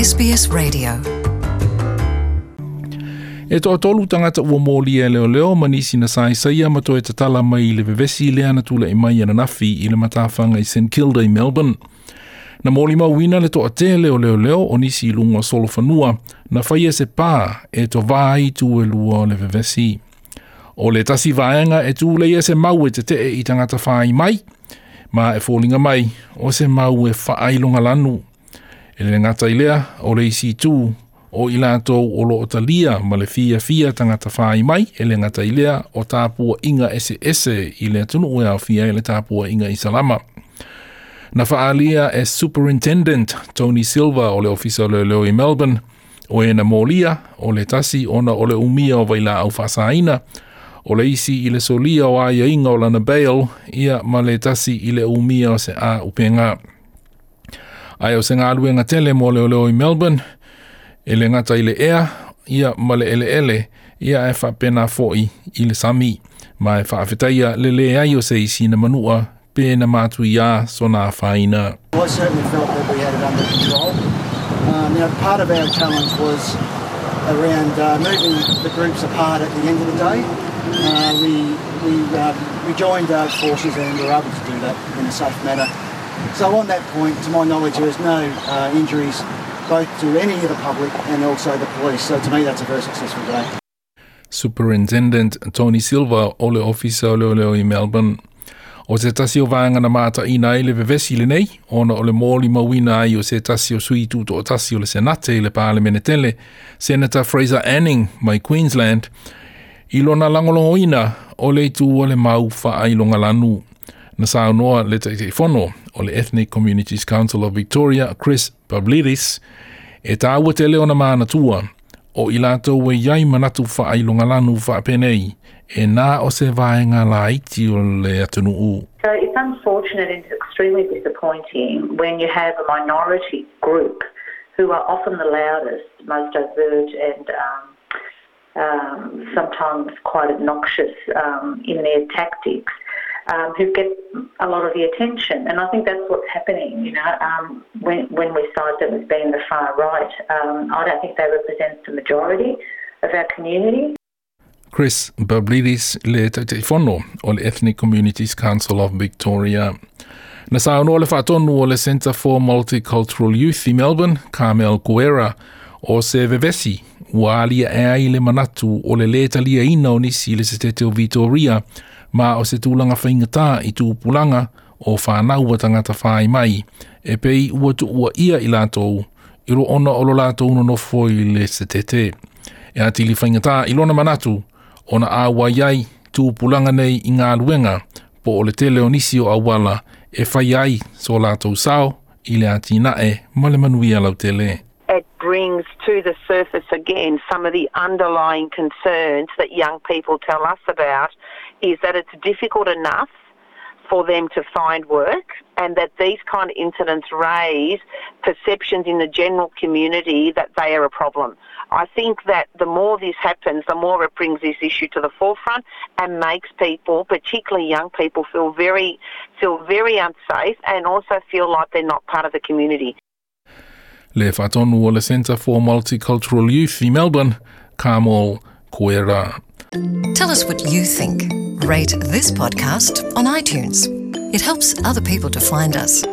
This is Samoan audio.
SBS Radio. E toatolu tagata ua molia e leoleo ma nisi na saisaia ma toe tatala mai i le vevesi lea na tula'i mai ananafi i le matafaga i St Kilda i Melbourne. Na molimauina le toatele o leoleo o nisi i luga o solofanua na faia se pā e tovā ai itu e lua o le vevesi. O le tasi vaega e tuleia se mau e tete'e i tagata fai mai, ma e foliga mai o se mau e faailogalanu. E le gata i lea, o le isi itu o i latou o loo talia ma le fiafia tagata fai mai, e le gata i lea o tapuaʻiga eseese i le atunuu e aofia ai le tapuaʻiga Isalama. Na faaalia e Superintendent Tony Silva o le Ofisa o Leoleo i Melbourne, o e na molia o le tasi ona o le umia o vailaau faasaina, o le isi i le solia o aiaiga o lana bail, ia ma le tasi i le umia o se auupega. Ae o se galuega tele mo leoleo i Melbourne, e le gata i le ea, ia ma le eleele, ia ae faapena foʻi i le sami. Ma e faafetaia le leai o se isi na manua pe na matuiā sona afaina. I certainly felt that we had it under control. Now, part of our challenge was around moving the groups apart at the end of the day. We joined our forces and were able to do that in a safe manner. So on that point, to my knowledge, there is no injuries both to any of the public and also the police. So to me, that's a very successful day. Superintendent Tony Silva o le Ofisa o Leoleo i Melbourne. O se tasi o vaega na mataʻina ai le vevesi lenei, ona o le molimauina ai o se tasi o sui tutoʻatasi o le Senate i le Palemene tele, Senator Fraser Anning mai Queensland, i lona lagolagoina o le itu o le mau faailogalanu. Na saunoa le Taitaifono o le Ethnic Communities Council of Victoria, Chris Pavlidis, e tāua tele ona manatua, o i latou e i ai manatu faailogalanu faapenei, e na o se vaega laiti o le atunuu. So it's unfortunate and it's extremely disappointing when you have a minority group who are often the loudest, most overt and sometimes quite obnoxious in their tactics, who get a lot of the attention. And I think that's what's happening when we cite them as being the far right. I don't think they represent the majority of our community. Chris Pavlidis le Taitaifono o le Ethnic Communities Council of Victoria. Na saunoa le faatonu o le Centre for Multicultural Youth i Melbourne, Carmel Guerra, o se vevesi ua aliaʻe ai le manatu o le lē taliaina o nisi i le setete o Vitoria, ma o se tulaga faigata i tupulaga o fanau a tagata fai mai, e pei ua tuuaʻia i latou i lo ona o lo latou nonofo i le setete. E atili faigata i lona manatu ona auai ai tupulaga nei i galuega po o le tele o nisi o auala e fai ai so latou sao i le atinae ma le manuia lautele. It brings to the surface again some of the underlying concerns that young people tell us about, is that it's difficult enough for them to find work and that these kind of incidents raise perceptions in the general community that they are a problem. I think that the more this happens, the more it brings this issue to the forefront and makes people, particularly young people, feel very unsafe and also feel like they're not part of the community. Le faatonu o le Centre for Multicultural Youth i Melbourne, Carmel Guerra. Tell us what you think. Rate this podcast on iTunes. It helps other people to find us.